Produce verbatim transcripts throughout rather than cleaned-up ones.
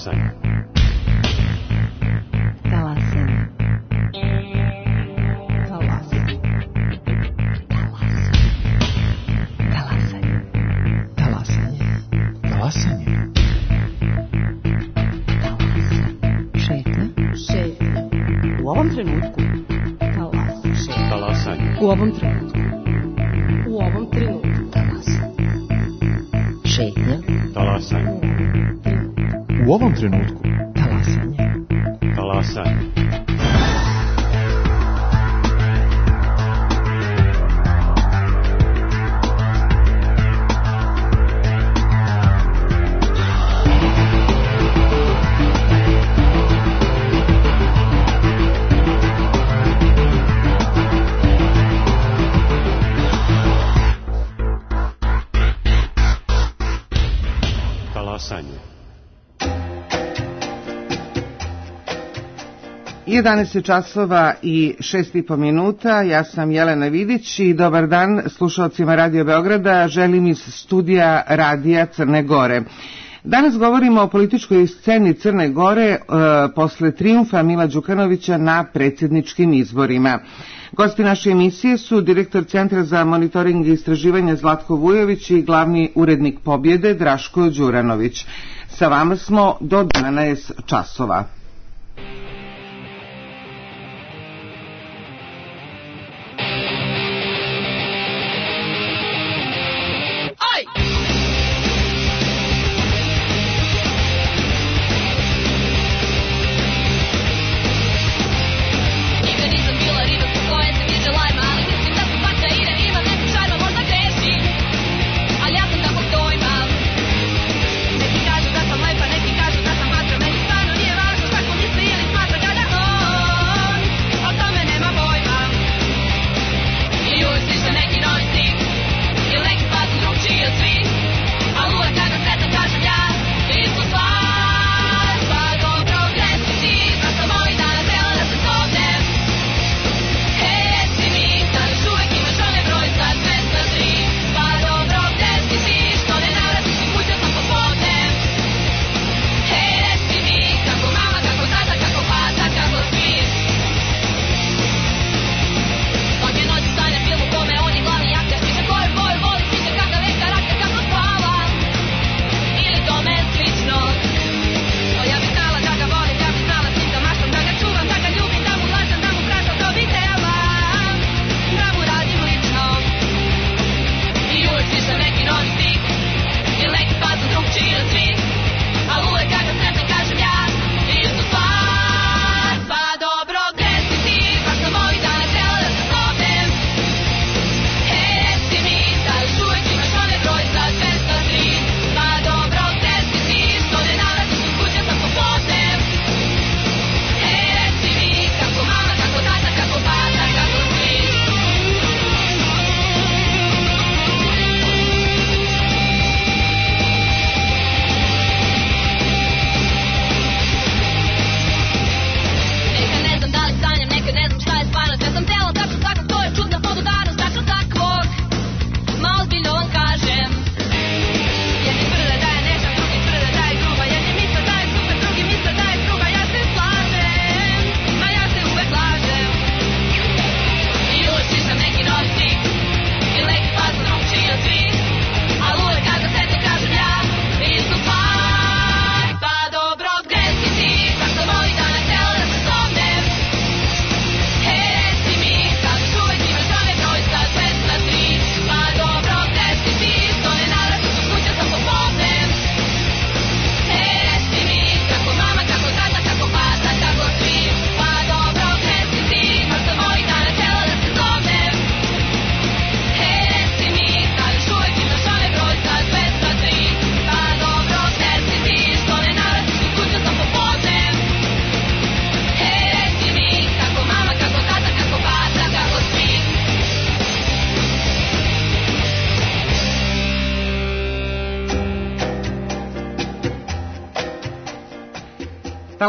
Talasanje. Talasanje. Talasanje. Talasanje. Talasanje. Talasanje. Šetnja. Šetnja. U ovom trenutku. Talasanje. Talasanje. U ovom trenutku. U ovom trenutku. Talasanje. Šetnja. Talasanje. U ovom trenutku. Talasanje. Talasanje. jedanaest časova i šest i po minuta, ja sam Jelena Vidić i dobar dan slušalcima Radio Beograda, želim iz studija Radija Crne Gore. Danas govorimo o političkoj sceni Crne Gore e, posle trijumfa Mila Đukanovića na predsjedničkim izborima. Gosti naše emisije su direktor Centra za monitoring i istraživanje Zlatko Vujović i glavni urednik Pobjede Draško Đuranović. Sa vama smo do jedanaest časova.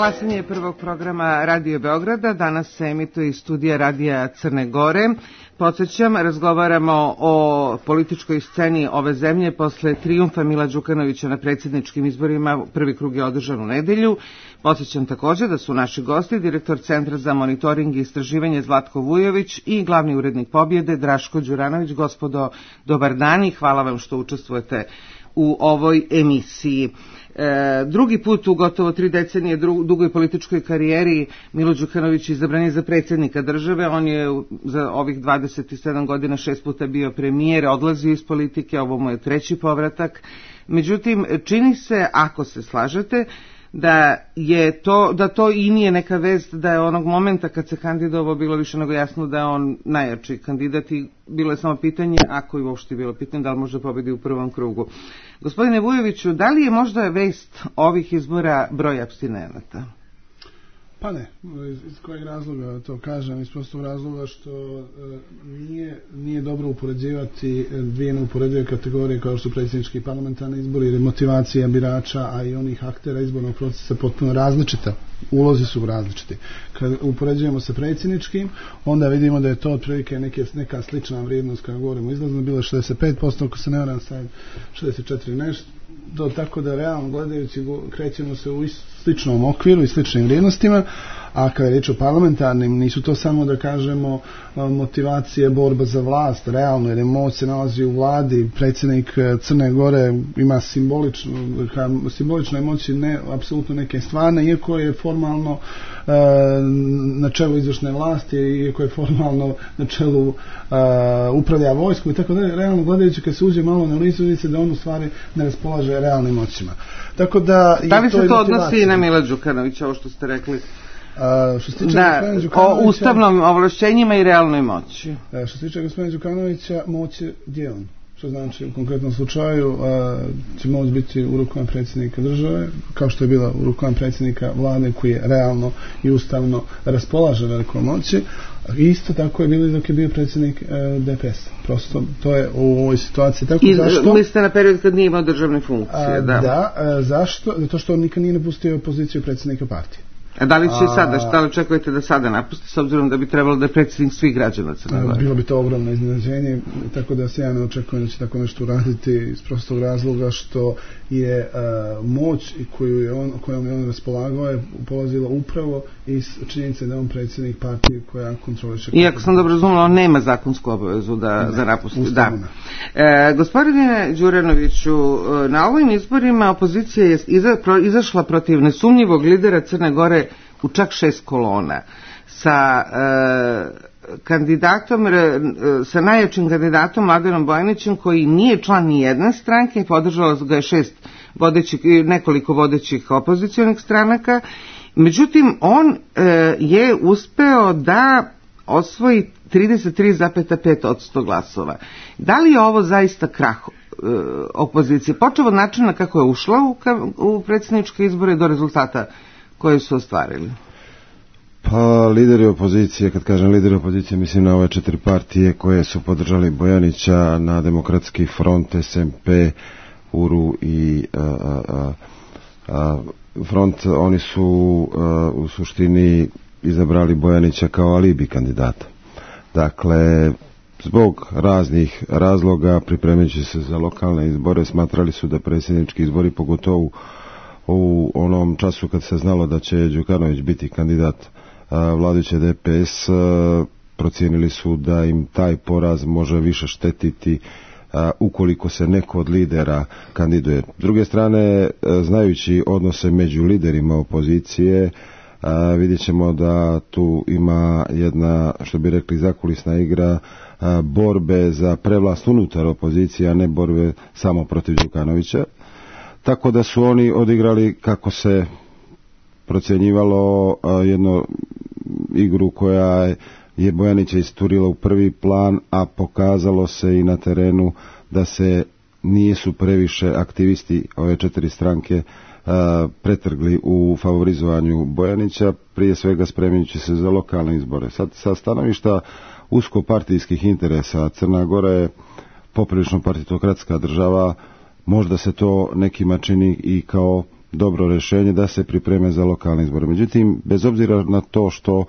Talasanje je prvog programa Radio Beograda, danas se emituje iz studija Radija Crne Gore. podsjećam, razgovaramo o političkoj sceni ove zemlje posle trijumfa Mila Đukanovića na predsjedničkim izborima. Prvi krug je održan u nedelju. Podsjećam također da su naši gosti direktor Centra za monitoring i istraživanje Zlatko Vujović i glavni urednik Pobjede Draško Đuranović. Gospodo, dobar dan i hvala vam što učestvujete u ovoj emisiji. E, drugi put u gotovo tri decenije dru, dugoj političkoj karijeri Milo Đukanović izabran je za predsjednika države. On je za ovih dvadeset sedam godina šest puta bio premijer, odlazio iz politike, ovo mu je treći povratak. Međutim, čini se, ako se slažete, da je to, da to i nije neka vest, da je onog momenta kad se kandidovao bilo više nego jasno da je on najjači kandidat i bilo je samo pitanje, ako je uopšte bilo pitanje, da li može pobedi u prvom krugu. Gospodine Vujoviću, da li je možda vest ovih izbora broj apstinenata? Pa ne, iz kojeg razloga to kažem, iz prostog razloga što e, nije, nije dobro upoređivati dvije neuporedive kategorije kao što su predsjednički i parlamentarni izbori, jer je motivacija birača, a i onih aktera izbornog procesa potpuno različita. Ulozi su različiti. Kad upoređujemo sa predsjedničkim, onda vidimo da je to otprilike neke, neka slična vrijednost kada govorimo izlazno, bilo šezdeset pet posto, ako se ne varam, sad šezdeset četiri nešto, do, tako da realno gledajući krećemo se u sličnom okviru i sličnim vrijednostima, a kada je riječ o parlamentarnim, nisu to samo da kažemo motivacije, borba za vlast, realno, jer je moć se nalazi u vladi, predsjednik Crne Gore ima simbolično, simbolične moći, ne apsolutno neke stvarne, iako je formalno e, na čelu izvršne vlasti, iako je formalno na čelu e, upravlja vojskom i tako da, realno gledajući kad se uđe malo na licu, vidi se da on u stvari ne raspolaže realnim moćima. Tako da, da li se to, to odnosi i na Mila Đukanovića, ovo što ste rekli? A, što se tiče da, o ustavnom ovlašćenjima i realnoj moći. A, što se tiče gospodina Đukanovića, moć je dijelom. Što znači u konkretnom slučaju a, će moć biti u rukama predsjednika države, kao što je bila u rukama predsjednika vlade koji je realno i ustavno raspolaže velikom moći. Isto tako je bilo dok je bio predsjednik e, D P S. Prosto to je u ovoj situaciji. Tako I zašto? Mislite na period kad nije imao državne funkcije. A, da, da e, zašto? Zato što on nikad nije napustio poziciju predsjednika partije. A da li će a, sada, šta li očekujete da sada napusti, s obzirom da bi trebalo da je predsjednik svih građana Crne Gore? Bilo bi to ogromno iznenađenje, tako da se ja ne očekujem da će tako nešto uraditi iz prostog razloga što je uh, moć koju je on, kojom je on raspolagao je polazila upravo iz činjenice da je on predsjednik partije koja kontroliše. Iako sam dobro razumela, on nema zakonsku obavezu da, ne, za napusti. Da. E, gospodine Đuranoviću, na ovim izborima opozicija je iza, pro, izašla protiv nesumnjivog lidera Crne Gore u čak šest kolona sa e, kandidatom, e, sa najjačim kandidatom Mladenom Bojanićem koji nije član ni jedne stranke, podržalo ga je šest vodećih, nekoliko vodećih opozicionih stranaka. Međutim, on e, je uspeo da osvoji trideset tri zarez pet posto glasova. Da li je ovo zaista krah e, opozicije? Počeo od načina kako je ušla u, u predsjedničke izbore do rezultata koje su ostvarili? Pa lideri opozicije, kad kažem lideri opozicije, mislim na ove četiri partije koje su podržali Bojanića, na Demokratski front, S M P, U R U i a, a, a, front. Oni su a, u suštini izabrali Bojanića kao alibi kandidata. Dakle, zbog raznih razloga, pripremajući se za lokalne izbore, smatrali su da predsjednički izbori, pogotovo u onom času kad se znalo da će Đukanović biti kandidat vladajuće D P S, procijenili su da im taj poraz može više štetiti ukoliko se neko od lidera kandiduje. S druge strane, znajući odnose među liderima opozicije, vidjet ćemo da tu ima jedna, što bi rekli, zakulisna igra borbe za prevlast unutar opozicije, a ne borbe samo protiv Đukanovića. Tako da su oni odigrali, kako se procjenjivalo, jednu igru koja je Bojanića isturila u prvi plan, a pokazalo se i na terenu da se nisu previše aktivisti ove četiri stranke a, pretrgli u favorizovanju Bojanića, prije svega spremajući se za lokalne izbore. Sad, sa stanovišta uskopartijskih interesa, Crna Gora je poprilično partitokratska država, možda se to nekima čini i kao dobro rješenje da se pripreme za lokalne izbore. Međutim, bez obzira na to što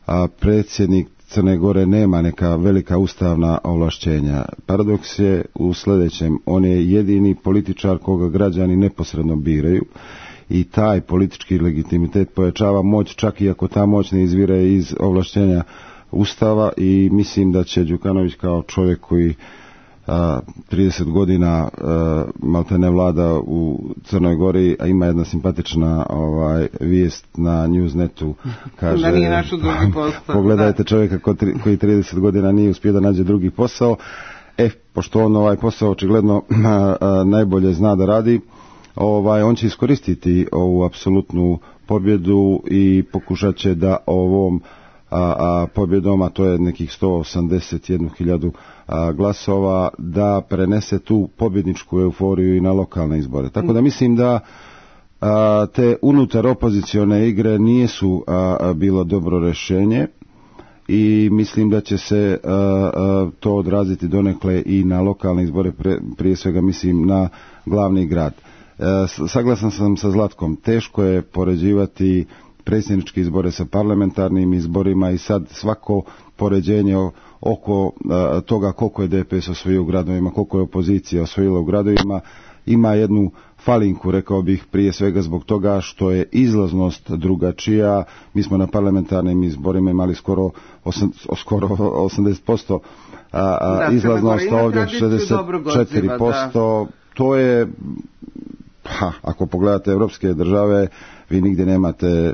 a, predsjednik Crne Gore nema neka velika ustavna ovlašćenja. Paradoks je u sljedećem, on je jedini političar koga građani neposredno biraju i taj politički legitimitet pojačava moć, čak i ako ta moć ne izvire iz ovlašćenja Ustava, i mislim da će Đukanović kao čovjek koji a, trideset godina a, maltene vlada u Crnoj Gori, a ima jedna simpatična ovaj, vijest na Newsnetu, kaže da nije našao drugi posao. Pogledajte čovjeka ko tri, koji trideset godina nije uspio da nađe drugi posao. E, pošto on ovaj posao očigledno a, a, najbolje zna da radi, ovaj, on će iskoristiti ovu apsolutnu pobjedu i pokušat će da ovom a, a pobjedom, a to je nekih sto osamdeset jednu hiljadu a, glasova, da prenese tu pobjedničku euforiju i na lokalne izbore. Tako da mislim da a, te unutar opozicione igre nisu a, a, bilo dobro rješenje i mislim da će se a, a, to odraziti donekle i na lokalne izbore, pre, prije svega mislim na glavni grad. A, saglasan sam sa Zlatkom, teško je poređivati predsjedničke izbore sa parlamentarnim izborima i sad svako poređenje oko a, toga koliko je D P S osvojio u gradovima, koliko je opozicija osvojila u gradovima, ima jednu falinku, rekao bih, prije svega zbog toga što je izlaznost drugačija. Mi smo na parlamentarnim izborima imali skoro, osam, skoro osamdeset posto a, a, da, izlaznost, ovdje šezdeset četiri posto. Da. To je, ha, ako pogledate evropske države, vi nigdje nemate,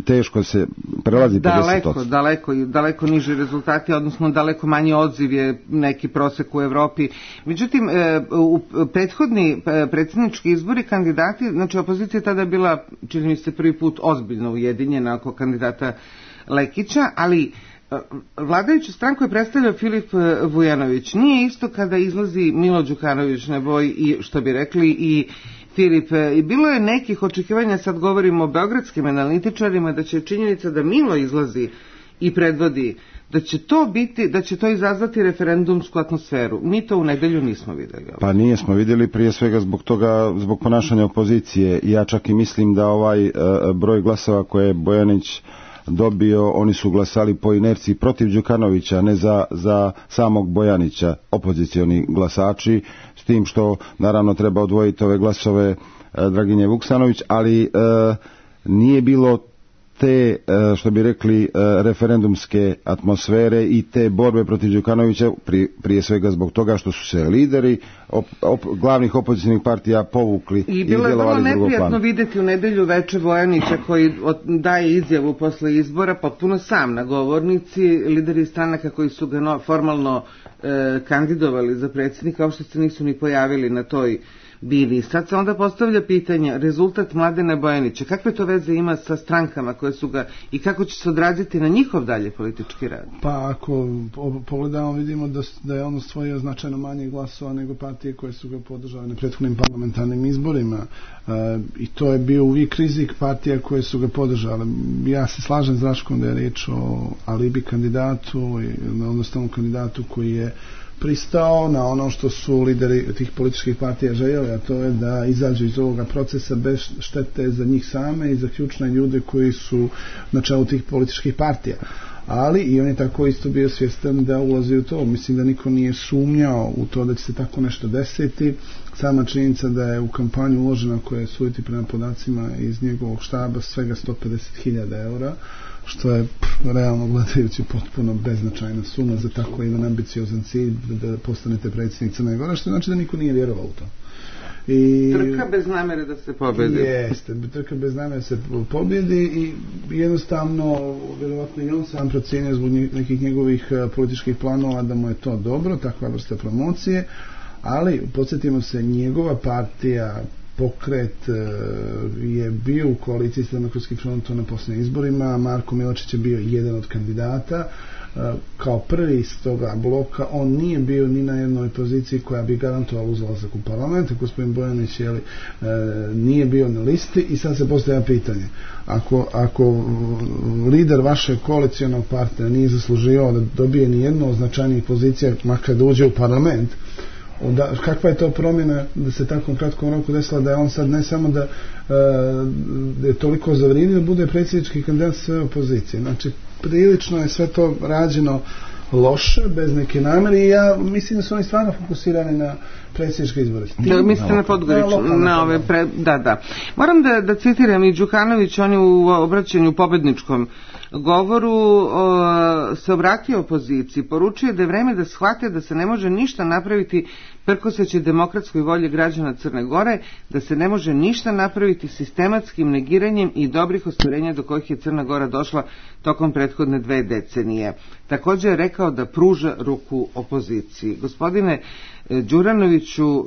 teško se prelazi pedeset posto. Daleko, daleko, daleko niži rezultati, odnosno daleko manji odziv je neki prosek u Evropi. Međutim, u prethodni predsjednički izbori kandidati, znači opozicija je tada bila, čini mi se, prvi put ozbiljno ujedinjena oko kandidata Lekića, ali vladajuću stranku je predstavljao Filip Vujanović. Nije isto kada izlazi Milo Đukanović na boj i, što bi rekli, i Filip, i bilo je nekih očekivanja, sad govorimo o beogradskim analitičarima, da će činjenica da Milo izlazi i predvodi, da će to biti, da će to izazvati referendumsku atmosferu. Mi to u nedelju nismo vidjeli. Pa nismo vidjeli, prije svega zbog toga, zbog ponašanja opozicije. Ja čak i mislim da ovaj uh, broj glasova koje je Bojanić dobio, oni su glasali po inerciji protiv Đukanovića, ne za, za samog Bojanića, opozicioni glasači, s tim što naravno treba odvojiti ove glasove e, Draginje Vuksanović, ali e, nije bilo te, e, što bi rekli, e, referendumske atmosfere i te borbe protiv Đukanovića, pri, prije svega zbog toga što su se lideri op, op, glavnih opozicijnih partija povukli i, i bilo je vrlo neprijatno vidjeti u nedelju veče Vojanića koji od, daje izjavu posle izbora potpuno sam na govornici. Lideri stranaka koji su ga no, formalno e, kandidovali za predsjednika uopšte se nisu ni pojavili na toj bini. Sad se onda postavlja pitanje, rezultat Mladena Bojanića, kakve to veze ima sa strankama koje su ga i kako će se odraziti na njihov dalje politički rad? Pa ako pogledamo, vidimo da, da je on osvojio značajno manje glasova nego partije koje su ga podržale na prethodnim parlamentarnim izborima. E, i to je bio uvijek rizik partija koje su ga podržale. Ja se slažem s Raškom da je riječ o alibi kandidatu, odnosno kandidatu koji je pristao na ono što su lideri tih političkih partija željeli, a to je da izađu iz ovoga procesa bez štete za njih same i za ključne ljude koji su na čelu tih političkih partija. Ali i on je tako isto bio svjestan da ulazi u to. Mislim da niko nije sumnjao u to da će se tako nešto desiti. Sama činjenica da je u kampanju uložena, koja je suditi prema podacima iz njegovog štaba, svega sto pedeset hiljada eura, što je pff, realno gledajući potpuno beznačajna suma za tako jedan ambiciozan cilj da, da postanete predsjednik Crne Gore, što znači da niko nije vjerovao u to. I trka bez namere da se pobjedi. Jeste, trka bez namere da se pobjedi i jednostavno, vjerovatno i on sam procijenio zbog nekih njegovih političkih planova da mu je to dobro, takva vrsta promocije, ali podsjetimo se, njegova partija Pokret je bio u koaliciji s Demokratskim frontom na posljednjim izborima. Marko Miločić je bio jedan od kandidata. Kao prvi iz toga bloka on nije bio ni na jednoj poziciji koja bi garantovala uzlazak u parlament. Gospodin Bojanić jeli, nije bio na listi i sad se postavlja pitanje. Ako, ako lider vašeg koalicionog partnera nije zaslužio da dobije ni jednu od značajnijih pozicija, makar da uđe u parlament, onda kakva je to promjena da se tako kratkom roku desila da je on sad ne samo da, da je toliko zavrijedio da bude predsjednički kandidat sve opozicije. Znači prilično je sve to rađeno loše, bez neke namere i ja mislim da su oni stvarno fokusirani na predsjedničke izbore. Da, mislite na Podgoriču, na, na ove pre, da, da. Moram da, da citiram i Đukanović, on je u obraćanju pobedničkom govoru o, se obratio opoziciji, poručio da je vreme da shvate da se ne može ništa napraviti prkoseći demokratskoj volji građana Crne Gore, da se ne može ništa napraviti sistematskim negiranjem i dobrih ostvarenja do kojih je Crna Gora došla tokom prethodne dve decenije. Također je rekao da pruža ruku opoziciji. Gospodine Đuranoviću,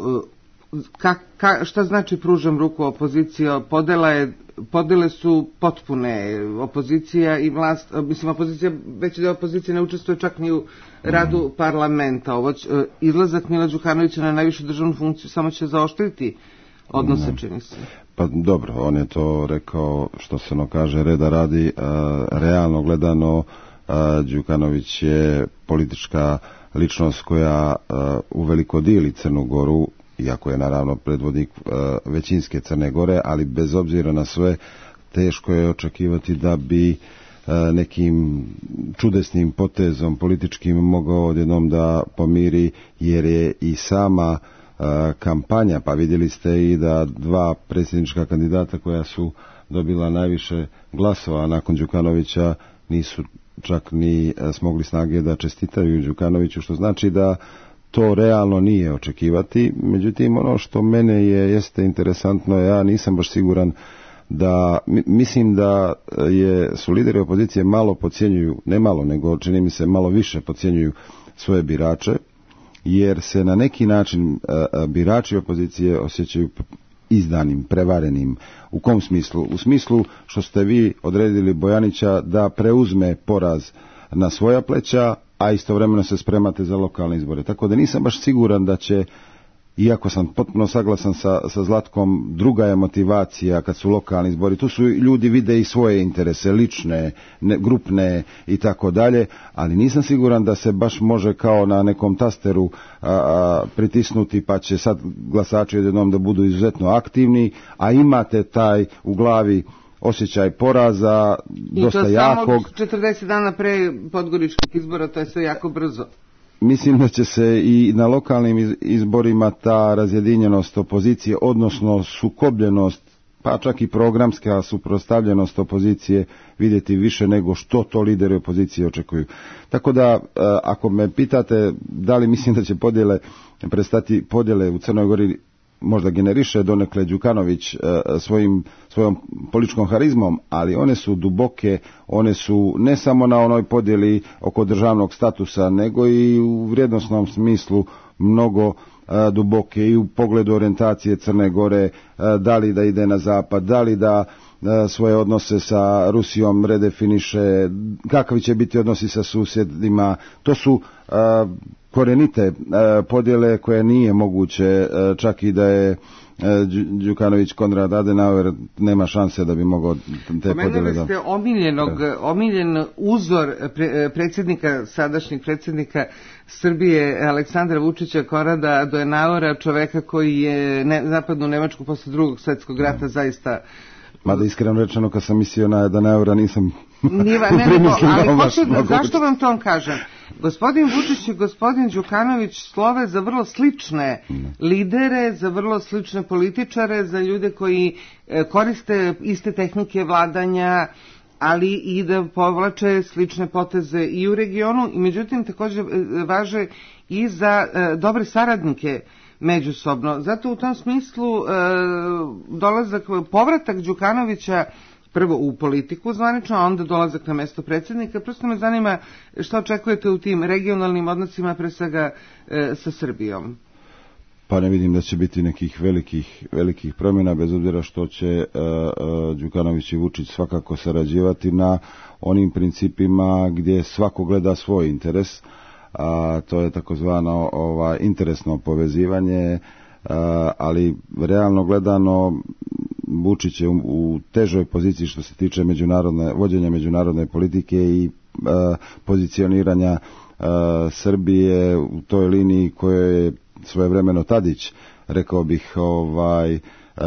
ka, ka, šta znači pružam ruku opoziciji? Podela je, podele su potpune, opozicija i vlast, mislim opozicija, već da opozicija ne učestvuje čak ni u radu parlamenta. Ovo će, izlazak Mila Đukanovića na najvišu državnu funkciju samo će zaoštriti odnose, čini se. Pa dobro, on je to rekao, što se ono kaže, reda radi, a, realno gledano a, Đukanović je politička ličnost koja a, uveliko dijeli Crnu Goru, iako je naravno predvodnik a, većinske Crne Gore, ali bez obzira na sve teško je očekivati da bi a, nekim čudesnim potezom političkim mogao odjednom da pomiri, jer je i sama a, kampanja, pa vidjeli ste i da dva predsjednička kandidata koja su dobila najviše glasova nakon Đukanovića nisu čak ni smogli snage da čestitaju Đukanoviću, što znači da to realno nije očekivati. Međutim, ono što mene je jeste interesantno, ja nisam baš siguran da, mislim da je, su lideri opozicije malo podcjenjuju, ne malo, nego čini mi se malo više podcjenjuju svoje birače, jer se na neki način birači opozicije osjećaju izdanim, prevarenim. U kom smislu? U smislu što ste vi odredili Bojanića da preuzme poraz na svoja pleća, a istovremeno se spremate za lokalne izbore. Tako da nisam baš siguran da će, iako sam potpuno saglasan sa, sa Zlatkom, druga je motivacija kad su lokalni izbori. Tu su ljudi vide i svoje interese, lične, ne, grupne i tako dalje, ali nisam siguran da se baš može kao na nekom tasteru a, a, pritisnuti pa će sad glasači odjednom da budu izuzetno aktivni, a imate taj u glavi osjećaj poraza, dosta jakog. I to samo četrdeset dana pre podgoričkih izbora, to je sve jako brzo. Mislim da će se i na lokalnim izborima ta razjedinjenost opozicije, odnosno sukobljenost, pa čak i programska suprotstavljenost opozicije vidjeti više nego što to lideri opozicije očekuju. Tako da, ako me pitate da li mislim da će podjele prestati, podjele u Crnoj Gori možda generiše donekle Đukanović svojim, svojom političkom harizmom, ali one su duboke, one su ne samo na onoj podjeli oko državnog statusa, nego i u vrijednosnom smislu mnogo duboke i u pogledu orijentacije Crne Gore, da li da ide na zapad, da li da svoje odnose sa Rusijom redefiniše, kakvi će biti odnosi sa susjedima. To su korenite podjele koje nije moguće, čak i da je Đukanović Konrad Adenauer, nema šanse da bi mogao te podjele da... Pomenuli ste omiljenog, omiljen uzor pre, predsjednika, sadašnjeg predsjednika Srbije Aleksandra Vučića, Konrada Adenauera, čoveka koji je ne, zapadnu Nemačku posle drugog svjetskog rata zaista... Mada iskreno rečeno, kad sam mislio na Adenauera nisam... Niva, ne, ne, to, ali hoću, zašto vam to kažem? Gospodin Vučić i gospodin Đukanović slove za vrlo slične lidere, za vrlo slične političare, za ljude koji koriste iste tehnike vladanja, ali i da povlače slične poteze i u regionu, i međutim također važe i za dobre saradnike međusobno. Zato u tom smislu dolazak, povratak Đukanovića prvo u politiku zvanično, a onda dolazak na mesto predsjednika. Prosto me zanima što očekujete u tim regionalnim odnosima, pre svega e, sa Srbijom. Pa ne vidim da će biti nekih velikih, velikih promjena, bez obzira što će e, e, Đukanović i Vučić svakako sarađivati na onim principima gdje svako gleda svoj interes, a to je takozvano ova, interesno povezivanje, a, ali realno gledano Vučić je u, u težoj poziciji što se tiče međunarodne, vođenja međunarodne politike i a, pozicioniranja a, Srbije u toj liniji koje je svojevremeno Tadić, rekao bih, ovaj,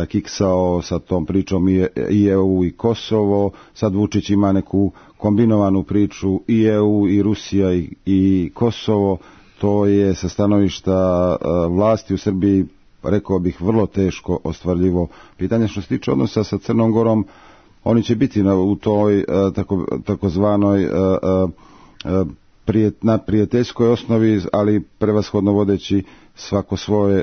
kiksao sa tom pričom i E U i Kosovo, sad Vučić ima neku kombinovanu priču i E U i Rusija i, i Kosovo. To je sa stanovišta vlasti u Srbiji, rekao bih, vrlo teško ostvarljivo pitanje. Što se tiče odnosa sa Crnom Gorom, oni će biti na, u toj tako, takozvanoj prijet, na prijateljskoj osnovi, ali prevashodno vodeći svako svoje,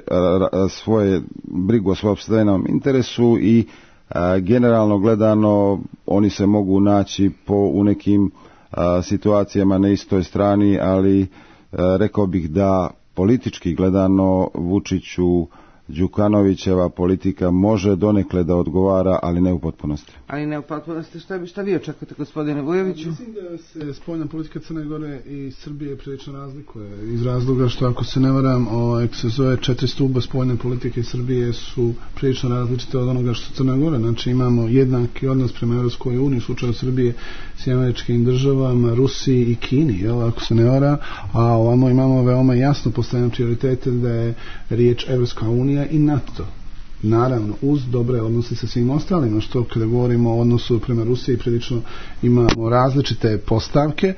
svoje brigu o svojom opstajnom interesu i a, generalno gledano oni se mogu naći po u nekim a, situacijama na istoj strani, ali a, rekao bih da politički gledano Vučiću Đukanovićeva politika može donekle da odgovara, ali ne u potpunosti. Ali ne u potpunosti. Šta, bi, šta vi očekujete, gospodine Vujoviću? Mislim da se spoljna politika Crne Gore i Srbije prilično razlikuje iz razloga što, ako se ne varam, ovaj, se zove četiri stuba spoljne politike Srbije su prilično različite od onoga što Crna Gora. Znači imamo jednaki odnos prema Evropskoj uniji u slučaju Srbije s američkim državama, Rusiji i Kini, jel, ako se ne varam, a ovamo imamo veoma jasno postavljene prioritete da je riječ Evropska unija i NATO. Naravno, uz dobre odnose sa svim ostalima, što kada govorimo o odnosu prema Rusiji prilično imamo različite postavke,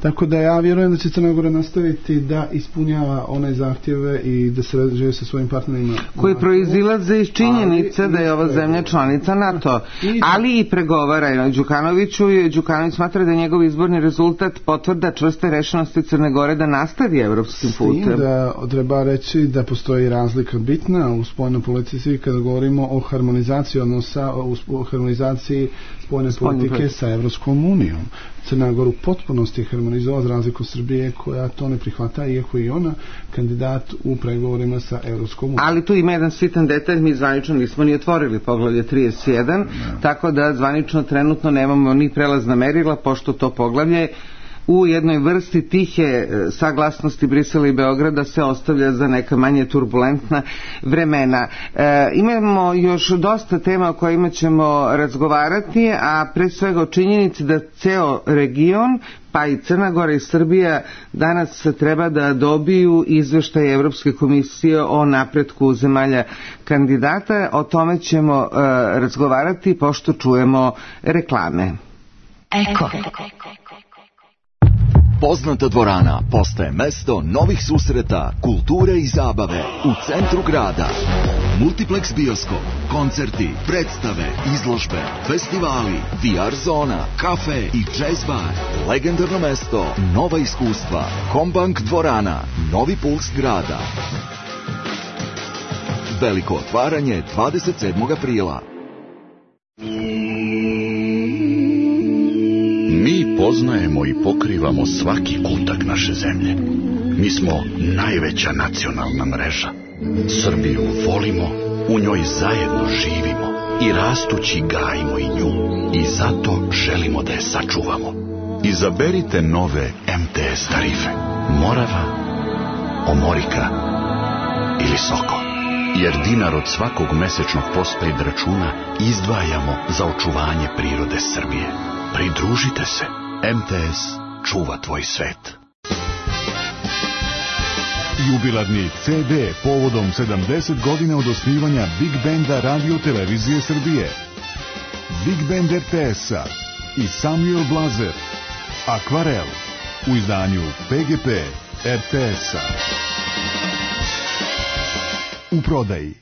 tako da ja vjerujem da će Crna Gora nastaviti da ispunjava one zahtjeve i da se rađuje sa svojim partnerima koji proizilaze iz činjenice da je ova zemlja članica NATO, ali i pregovara Đukanoviću i Đukanović smatra da je njegov izborni rezultat potvrda čvrste rešenosti Crne Gore da nastavi evropskim putem. S tim da treba reći da postoji razlika bitna u spoljnoj politici kada govorimo o harmonizaciji odnosa, o harmonizaciji spoljne politike sa Evropskom unijom. Crna Gora u potpunosti je harmonizovala za razliku Srbije koja to ne prihvata, iako i ona kandidat u pregovorima sa Evropskom unijom. Ali tu ima jedan sitan detalj, mi zvanično nismo ni otvorili poglavlje trideset jedan, ne. Tako da zvanično trenutno nemamo ni prelazna merila, pošto to poglavlje u jednoj vrsti tihe saglasnosti Brisela i Beograda se ostavlja za neka manje turbulentna vremena. E, imamo još dosta tema o kojima ćemo razgovarati, a pre svega o činjenici da ceo region, pa i Crna Gora i Srbija, danas treba da dobiju izveštaj Evropske komisije o napretku zemalja kandidata. O tome ćemo e, razgovarati pošto čujemo reklame. Eko. Poznata dvorana postaje mesto novih susreta, kulture i zabave u centru grada. Multiplex bioskop, koncerti, predstave, izložbe, festivali, V R zona, kafe i jazz bar. Legendarno mesto, nova iskustva. Combank dvorana, novi puls grada. Veliko otvaranje dvadeset sedmog aprila. Mi poznajemo i pokrivamo svaki kutak naše zemlje. Mi smo najveća nacionalna mreža. Srbiju volimo, u njoj zajedno živimo i rastući gajimo i nju. I zato želimo da je sačuvamo. Izaberite nove M T S tarife. Morava, Omorika ili Soko. Jer dinar od svakog mesečnog postpaid računa izdvajamo za očuvanje prirode Srbije. Pridružite se. M T S čuva tvoj svet. Jubilarni C D povodom sedamdeset godina od osnivanja Big Benda Radio Televizije Srbije. Big Band R T S-a i Samuel Blazer. Akvarel u izdanju P G P R T S-a. U prodaji.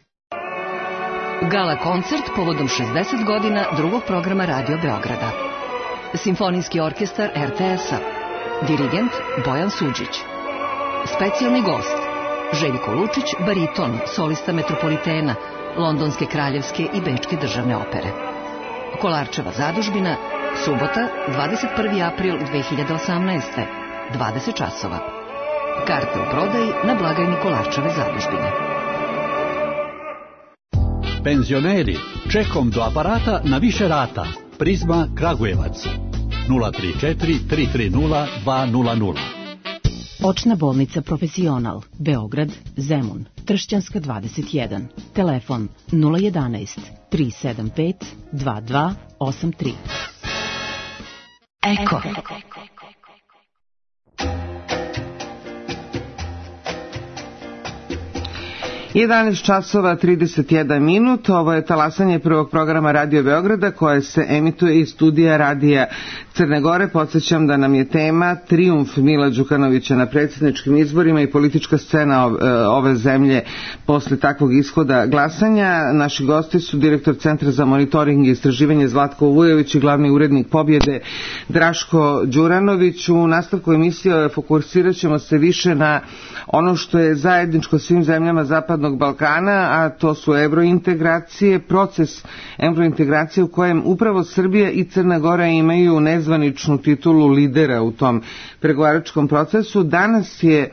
Gala koncert povodom šezdeset godina drugog programa Radio Beograda. Simfonijski orkestar R T S-a. Dirigent Bojan Suđić. Specijalni gost Željko Lučić, bariton, solista Metropolitena, Londonske kraljevske i Bečke državne opere. Kolarčeva zadužbina, subota, dvadeset prvi april dve hiljade osamnaeste, dvadeset časova. Karte u prodaji na blagajni Kolarčeve zadužbine. Penzioneri, čekom do aparata na više rata. Prizma Kragujevac. nula tri četiri tri tri nula dva nula nula. Očna bolnica Profesional, Beograd, Zemun, Tršćanska dvadeset jedan. Telefon nula jedanaest tri sedam pet dva dva osam tri. Eko. jedanaest časova trideset jedan minut, ovo je talasanje prvog programa Radio Beograda koje se emituje iz studija Radija Crne Gore. Podsjećam da nam je tema trijumf Mila Đukanovića na predsjedničkim izborima i politička scena ove zemlje posle takvog ishoda glasanja. Naši gosti su direktor Centra za monitoring i istraživanje Zlatko Vujović i glavni urednik Pobjede Draško Đuranović. U nastavku emisije fokusirat ćemo se više na ono što je zajedničko svim zemljama Zapadnog Balkana, a to su evrointegracije, proces evrointegracije u kojem upravo Srbija i Crna Gora imaju nezvaničnu titulu lidera u tom pregovaračkom procesu. Danas je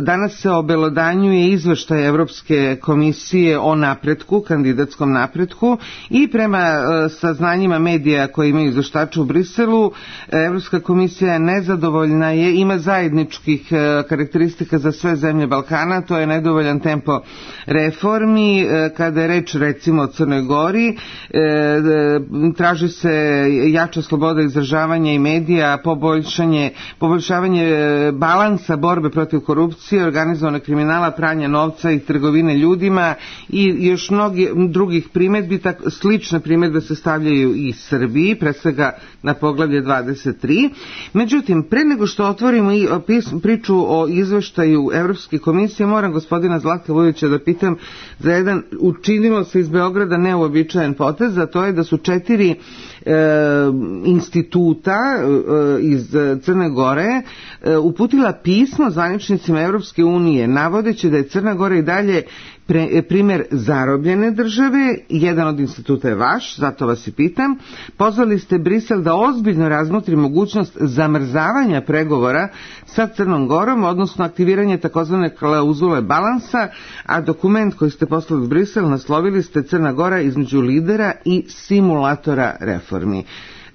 Danas se obelodanjuje izveštaj Evropske komisije o napretku, kandidatskom napretku, i prema saznanjima medija koji imaju izveštače u Briselu, Evropska komisija je nezadovoljna, je, ima zajedničkih karakteristika za sve zemlje Balkana, to je nedovoljan tempo reformi. Kada je reč recimo o Crnoj Gori, traži se jača sloboda izražavanja i medija, poboljšanje, poboljšavanje balansa borbe protiv korupcije, organizovanog kriminala, pranja novca i trgovine ljudima i još mnogi drugih primjedbi. Tak, slične primjedbe se stavljaju i Srbiji, pre svega na poglavlje dvadeset tri. Međutim, pre nego što otvorimo i priču o izveštaju Evropske komisije, moram gospodina Zlatka Vujovića da pitam za jedan, učinilo se iz Beograda neuobičajen potez, a to je da su četiri e, instituta e, iz Crne Gore e, uputila pismo zvaničnicima Evropske unije, navodeći da je Crna Gora i dalje Pre, primjer zarobljene države. Jedan od instituta je vaš, zato vas i pitam. Pozvali ste Brisel da ozbiljno razmotri mogućnost zamrzavanja pregovora sa Crnom Gorom, odnosno aktiviranje takozvane klauzule balansa, a dokument koji ste poslali u Brisel naslovili ste Crna Gora između lidera i simulatora reformi.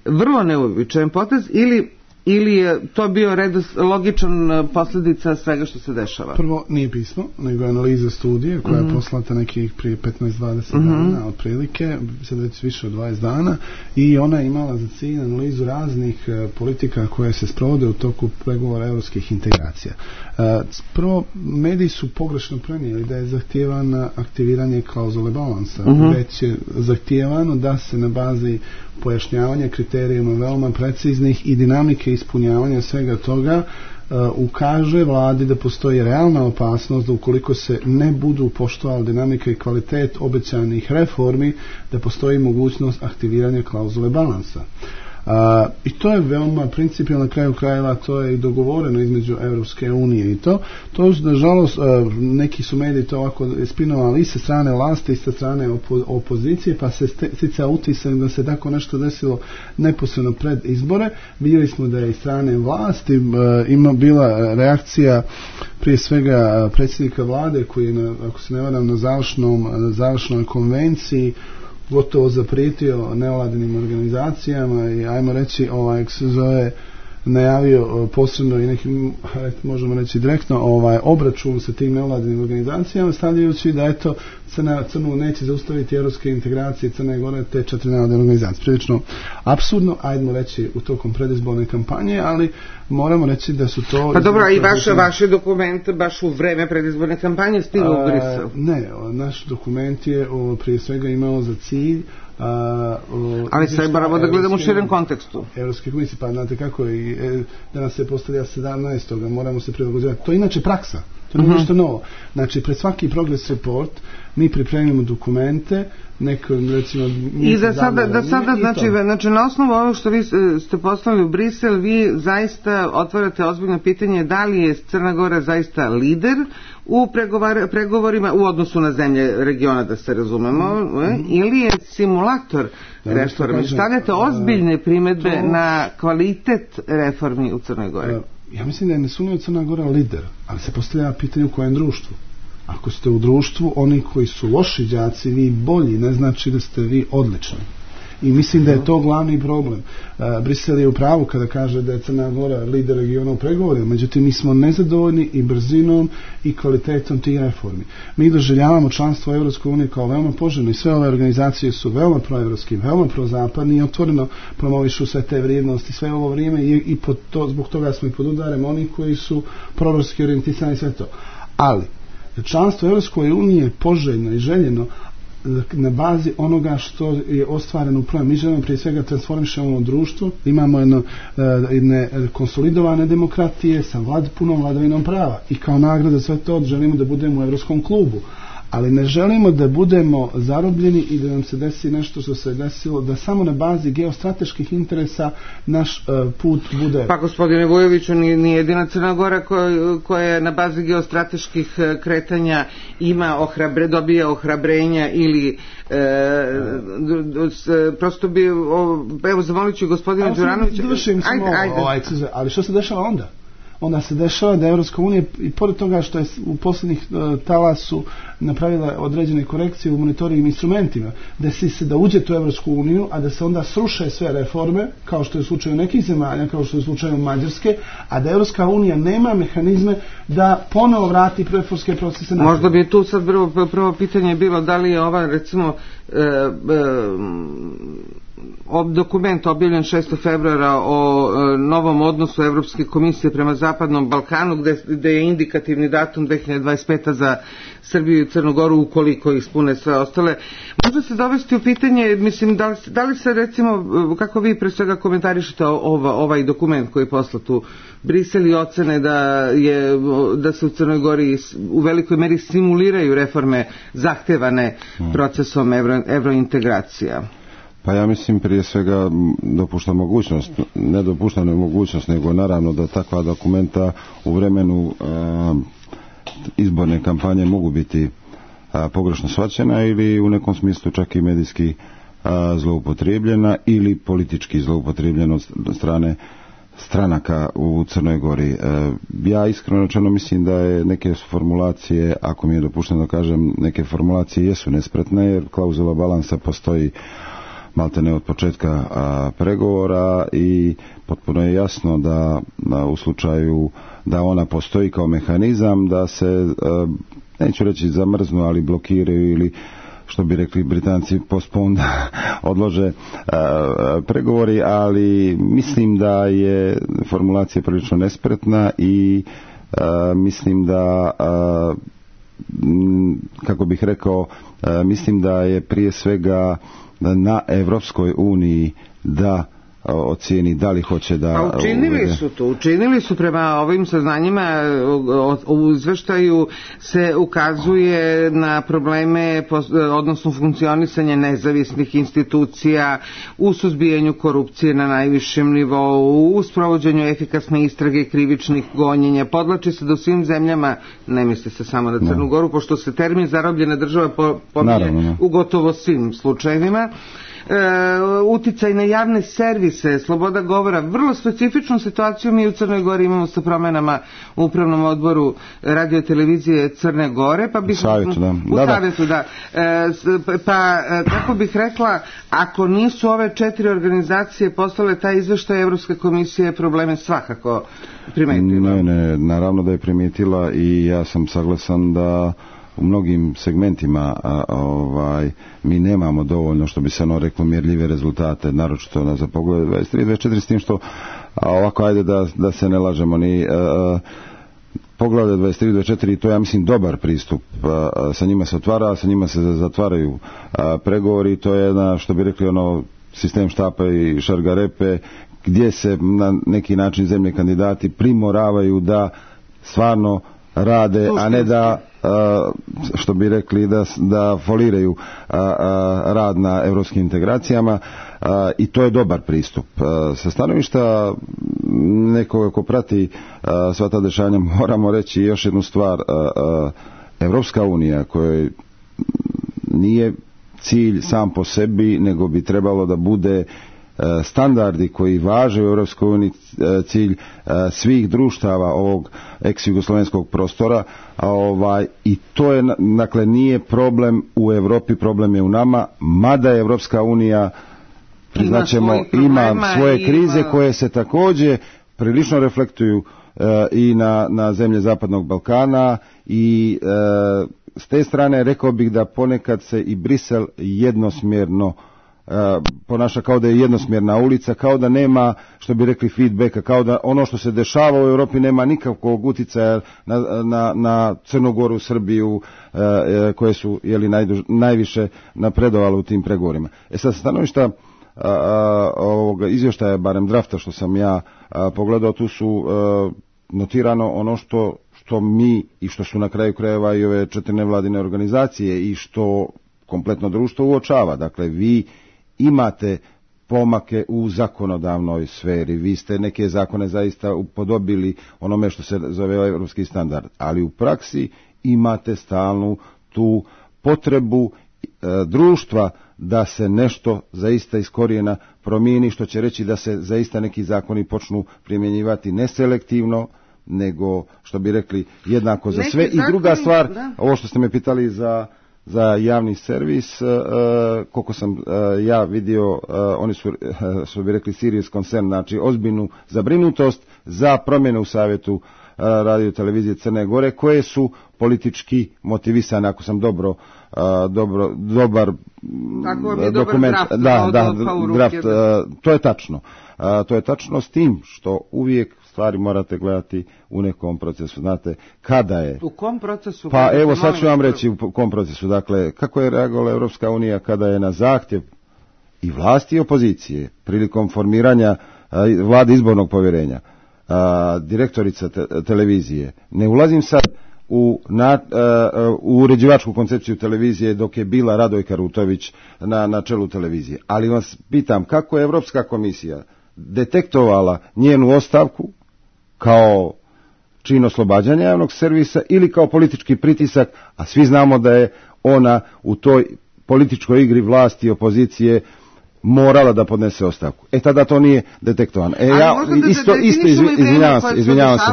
Vrlo neuobičajen potez, ili ili je to bio redos, logičan posljedica svega što se dešava? Prvo, nije pismo, nego analiza studije koja mm-hmm. je poslata nekih prije petnaest dvadeset mm-hmm. dana otprilike, sad već više od dvadeset dana, i ona je imala za cilj analizu raznih uh, politika koje se sprovode u toku pregovora evropskih integracija. Uh, prvo, mediji su pogrešno prenijeli da je zahtijevano aktiviranje klauzule balansa, mm-hmm. već je zahtijevano da se na bazi pojašnjavanja kriterijima veoma preciznih i dinamike ispunjavanja svega toga uh, ukaže vladi da postoji realna opasnost da ukoliko se ne budu poštovali dinamika i kvalitet obećanih reformi, da postoji mogućnost aktiviranja klauzule balansa. Uh, I to je veoma principijalno, na kraju krajeva to je i dogovoreno između Evropske unije i to. To, nažalost, uh, neki su mediji to ovako spinovali i sa strane vlasti i sa strane opo- opozicije, pa se stica utisak da se tako nešto desilo neposredno pred izbore. Vidjeli smo da je iz strane vlasti uh, ima bila reakcija prije svega predsjednika vlade koji je, na, ako se ne varam, na završnom, na završnoj konvenciji gotovo zaprijetio nevladinim organizacijama i ajmo reći ovaj se zove najavio posebno i nekim, možemo reći direktno, ovaj obračun sa tim nevladinim organizacijama, stavljajući da eto Crna, Crnu neće zaustaviti evropske integracije Crne Gore te četiri nevladine organizacije. Prilično apsurdno, ajdemo reći u tokom predizborne kampanje, ali moramo reći da su to... Pa dobro, i vaše, vaše dokumente baš u vreme predizborne kampanje stiglo u Brisel? Ne, naš dokument je o, prije svega imao za cilj Uh, uh, ali sve moramo da gledamo u širem kontekstu. Evropske komisije, pa znate kako i e, danas se postavlja sedamnaestog moramo se prilagođavati. To je inače praksa, to nije uh-huh. nešto novo. Znači, pred svaki progress report mi pripremimo dokumente, neko, recimo... I da sada, da sada znači, znači, na osnovu ovog što vi ste poslali u Brisel, vi zaista otvarate ozbiljno pitanje da li je Crna Gora zaista lider u pregovar, pregovorima u odnosu na zemlje regiona, da se razumemo, mm-hmm. ili je simulator da, reformi. Stavljate ozbiljne primjedbe to... na kvalitet reformi u Crnoj Gori. Ja mislim da je nesumnjivo Crna Gora lider, ali se postavlja pitanje u kojem društvu. Ako ste u društvu, oni koji su loši đaci, vi bolji, ne znači da ste vi odlični. I mislim da je to glavni problem. Uh, Brisel je u pravu kada kaže da je Crna Gora lider regiona u pregovorima, međutim mi smo nezadovoljni i brzinom i kvalitetom tih reformi. Mi doživljavamo članstvo u Evropskoj uniji kao veoma poželjno i sve ove organizacije su veoma proevropski, veoma prozapadni i otvoreno promovišu sve te vrijednosti sve ovo vrijeme i, i pod to, zbog toga smo i pod udarem oni koji su proevropski orijentisani sve to. Ali članstvo u Europskoj uniji je poželjno i željeno na bazi onoga što je ostvareno u prvom. Mi želimo prije svega transformišemo društvo, imamo jedno, jedne konsolidovane demokratije sa vlad, punom vladavinom prava i kao nagrada sve to želimo da budemo u Europskom klubu. Ali ne želimo da budemo zarobljeni i da nam se desi nešto što se desilo, da samo na bazi geostrateških interesa naš uh, put bude... Pa gospodine Vujoviću, ni, ni jedina Crna Gora koja, koja na bazi geostrateških kretanja ima ohrabre, dobija ohrabrenja ili e, prosto bi, o, evo zamolit ću gospodina Đuranovića... Ajde, ajde. Ovaj, ali što se dešava onda? Onda se dešava da Evropska unija i pored toga što je u posljednjih uh, talasu napravila određene korekcije u monitoring instrumentima, da se se da uđe u Evropsku uniju, a da se onda sruše sve reforme, kao što je u slučaju nekih zemalja, kao što je u slučaju Mađarske, a da Evropska unija nema mehanizme da ponovo vrati reformske procese. Možda bi tu sad prvo, prvo pitanje bilo da li je ova recimo e, e, dokument objavljen šestog februara o e, novom odnosu Evropske komisije prema Zapadnom Balkanu, gde, gde je indikativni datum dve hiljade dvadeset peta za Srbiju i Crnu Goru ukoliko ispune sve ostale. Možda se dovesti u pitanje, mislim, da li, da li se recimo, kako vi pre svega komentarišete ova, ovaj dokument koji je poslat u Brisel i ocene da, je, da se u Crnoj Gori u velikoj meri simuliraju reforme zahtevane procesom evro, evrointegracija? Pa ja mislim prije svega dopušta mogućnost, ne dopušta ne mogućnost, nego naravno da takva dokumenta u vremenu a, izborne kampanje mogu biti a, pogrešno shvaćena ili u nekom smislu čak i medijski a, zloupotrijebljena ili politički zloupotrijebljena od strane stranaka u Crnoj Gori. E, ja iskreno rečeno mislim da je neke formulacije, ako mi je dopušteno da kažem, neke formulacije jesu nespretne jer klauzula balansa postoji maltene od početka a, pregovora i potpuno je jasno da, da u slučaju da ona postoji kao mehanizam da se, a, neću reći zamrznu, ali blokiraju ili što bi rekli Britanci postpone odlože a, pregovori, ali mislim da je formulacija prilično nespretna i a, mislim da a, m, kako bih rekao a, mislim da je prije svega na Evropskoj uniji da ocijeni da li hoće da... Pa učinili uvede... su to, učinili su prema ovim saznanjima, u izveštaju se ukazuje na probleme, odnosno funkcionisanje nezavisnih institucija, u suzbijanju korupcije na najvišem nivou, u sprovođenju efikasne istrage krivičnih gonjenja. Podlači se da u svim zemljama, ne misli se samo na Crnu Goru, pošto se termin zarobljena država pominje u gotovo svim slučajevima. E, uticaj na javne servise, sloboda govora, vrlo specifičnu situaciju mi u Crnoj Gori imamo sa promenama u upravnom odboru radio televizije Crne Gore, pa bih savjetu, da. u da, savjetu, da. E, pa kako bih rekla, ako nisu ove četiri organizacije poslale taj izveštaj, Evropska komisija probleme svakako primetila. Ne, ne, naravno da je primijetila i ja sam saglasan da u mnogim segmentima a, ovaj, mi nemamo dovoljno, što bi se ono reklo, mjerljive rezultate, naročito na za pogled dvadeset tri dvadeset četiri, s tim što a, ovako ajde da, da se ne lažemo ni a, poglavlje dvadeset tri dvadeset četiri, to ja mislim dobar pristup, a, a, sa njima se otvara, a sa njima se zatvaraju a, pregovori, to je jedna, što bi rekli, ono sistem štapa i šargarepe, gdje se na neki način zemlje kandidati primoravaju da stvarno rade, a ne da a, što bi rekli da, da foliraju a, a, rad na europskim integracijama, a, i to je dobar pristup. A, sa stanovišta nekoga ko prati a, sva ta dešanja moramo reći još jednu stvar. A, a, Evropska unija koja nije cilj sam po sebi, nego bi trebalo da bude standardi koji važe u Europskoj uniji cilj svih društava ovog ex-jugoslovenskog prostora, a ovaj, i to je, dakle, nije problem u Europi, problem je u nama, mada je Europska unija, priznaćemo, ima, ima svoje krize ima... koje se također prilično reflektuju uh, i na, na zemlje Zapadnog Balkana i uh, s te strane rekao bih da ponekad se i Brisel jednosmjerno ponaša kao da je jednosmjerna ulica, kao da nema, što bi rekli, feedbacka, kao da ono što se dešava u Europi nema nikakvog uticaja na, na, na Crnogoru, Srbiju, koje su jeli, najduž, najviše napredovale u tim pregovorima. E sad, stanovišta ovoga izvještaja, barem drafta što sam ja a, pogledao, tu su a, notirano ono što, što mi i što su na kraju krajeva i ove četiri nevladine organizacije i što kompletno društvo uočava. Dakle, vi imate pomake u zakonodavnoj sferi, vi ste neke zakone zaista upodobili onome što se zove evropski standard, ali u praksi imate stalnu tu potrebu e, društva da se nešto zaista iz korijena promijeni, što će reći da se zaista neki zakoni počnu primjenjivati neselektivno, nego, što bi rekli, jednako za sve. I druga stvar, ovo što ste me pitali za za javni servis, uh, koliko sam uh, ja vidio, uh, oni su, uh, što bi rekli, serious concern, znači ozbiljnu zabrinutost za promjene u savjetu uh, radio televizije Crne Gore, koje su politički motivisane, ako sam dobro, uh, dobro dobar dokument, draft, da, da, draft, uh, to je tačno. Uh, to je tačno, s tim što uvijek stvari morate gledati u nekom procesu. Znate, kada je... U kom procesu? Pa evo, sad ću vam reći u kom procesu. Dakle, kako je reagovala Europska unija kada je na zahtjev i vlasti i opozicije prilikom formiranja a, vlade izbornog povjerenja, a, direktorica te, televizije, ne ulazim sad u, na, a, u uređivačku koncepciju televizije dok je bila Radojka Rutović na, na čelu televizije. Ali vas pitam, kako je Europska komisija detektovala njenu ostavku kao čin oslobađanja javnog servisa ili kao politički pritisak, a svi znamo da je ona u toj političkoj igri vlasti i opozicije morala da podnese ostavku. E tada to nije detektovano. E ja da, isto da, da, isto izvinjavam se, izvinjavam se.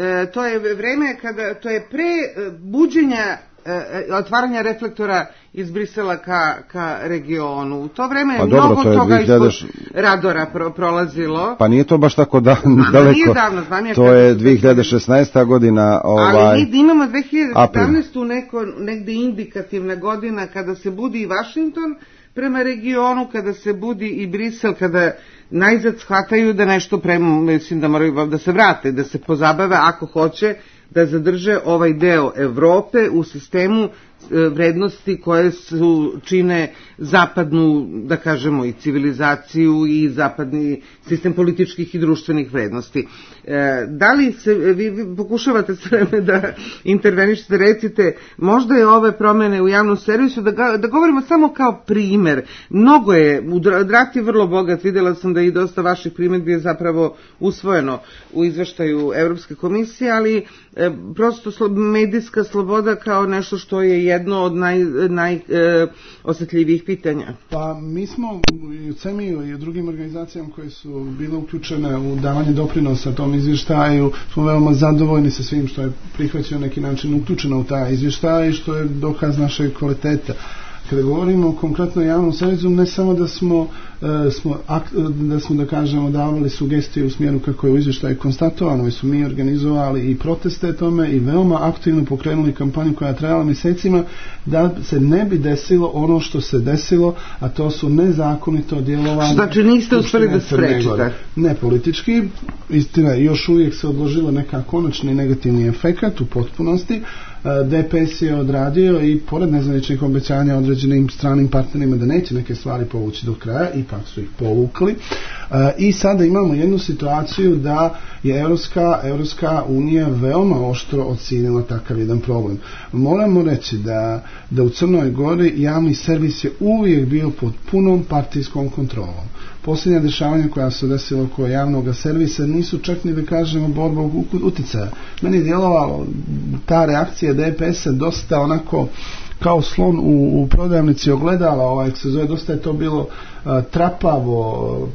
E, to je vreme kada to je pre buđenja e, otvaranja reflektora iz Brisela ka, ka regionu. U to vreme je pa mnogo dobro, to toga dvije hiljade... ispod radora pro, prolazilo. Pa nije to baš tako da, daleko. Nije davno, znam ja to je dvije hiljade šesnaesta godina. Ovaj, ali mi imamo dvije hiljade sedamnaestu neko, negde indikativna godina kada se budi i Washington prema regionu, kada se budi i Brisel, kada najzad shvataju da nešto prema, mislim da moraju da se vrate, da se pozabave ako hoće da zadrže ovaj deo Evrope u sistemu vrednosti koje su čine zapadnu, da kažemo, i civilizaciju i zapadni sistem političkih i društvenih vrednosti. E, da li se, vi, vi pokušavate sve vreme da intervenišete, recite, možda je ove promjene u javnom servisu, da, ga, da govorimo samo kao primer. Mnogo je, draft je vrlo bogat, vidjela sam da i dosta vaših primjedbi je zapravo usvojeno u izveštaju Evropske komisije, ali e, prosto slo, medijska sloboda kao nešto što je jedno od najosjetljivijih naj, e, pitanja. Pa mi smo i u CEMI-u i u drugim organizacijama koje su bile uključene u davanje doprinosa tom izvještaju smo veoma zadovoljni sa svim što je prihvaćeno neki način uključeno u taj izvještaj i što je dokaz našeg kvaliteta. Kada govorimo o konkretno javnom servisu, ne samo da smo, e, smo ak, da smo da kažemo davali sugestije u smjeru kako je u izvještaju konstatovano, već smo mi organizovali i proteste tome i veoma aktivno pokrenuli kampanju koja je trajala mjesecima da se ne bi desilo ono što se desilo, a to su nezakonito djelovanje. Znači niste uspjeli da sprečite? Ne politički, istina, još uvijek se odložilo neka konačni negativni efekat u potpunosti. D P S je odradio i pored nezvaničnih obećanja određenim stranim partnerima da neće neke stvari povući do kraja, ipak su ih povukli. I sada imamo jednu situaciju da je Europska, Europska unija veoma oštro ocijenila takav jedan problem. Moramo reći da, da u Crnoj Gori javni servis je uvijek bio pod punom partijskom kontrolom. Posljednja dešavanja koja su desila oko javnog servisa nisu čak ni da kažemo borba utjecaja. Meni je djelovalo ta reakcija D P S-a dosta onako kao slon u, u prodavnici ogledala, ovaj, se zove, dosta je to bilo uh, trapavo,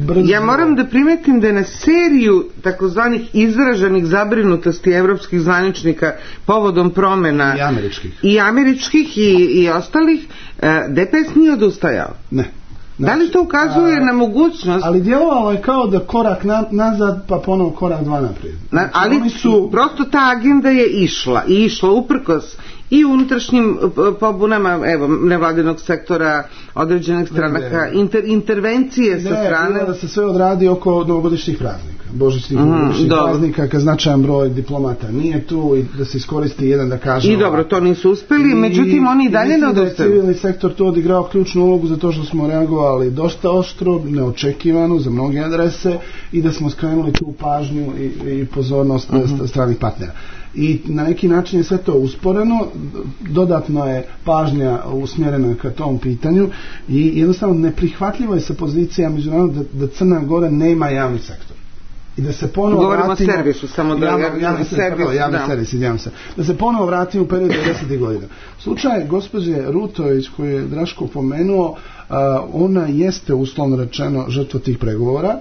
brzo. Ja moram da primetim da je na seriju takozvanih izraženih zabrinutosti evropskih zvaničnika povodom promjena i američkih i, američkih i, i ostalih, uh, D P S nije odustajao. Ne. Znači, da li to ukazuje a, na mogućnost? Ali djelovalo je kao da korak na, nazad, pa ponovo korak dva naprijed. Znači, na, ali su... prosto ta agenda je išla i išla uprkos i unutrašnjim pobunama, evo, nevladinog sektora, određenih stranaka, inter, intervencije ne, sa strane... Ne, da se sve odradi oko novogodišnjih praznika, božićnih mm, novogodišnjih praznika, kad značajan broj diplomata nije tu i da se iskoristi jedan da kaže... I dobro, to nisu uspeli, međutim oni i dalje ne odustaju. Civilni sektor tu odigrao ključnu ulogu zato što smo reagovali dosta oštro, neočekivano za mnoge adrese i da smo skrenuli tu pažnju i, i pozornost mm-hmm. stranih partnera. I na neki način je sve to usporeno, dodatno je pažnja usmjerena ka tom pitanju i jednostavno neprihvatljivo je sa pozicija međunarodna da, da Crna Gora nema javni sektor. I da se ponovo Govorimo vratimo... o servisu, samo da... Javno, javni, javni servis, javni da. servis, idem se. Da se ponovo vratimo u period devedesetih godina. Slučaj gospođe Rutović koju je Draško pomenuo, uh, ona jeste uslovno rečeno žrtva tih pregovora,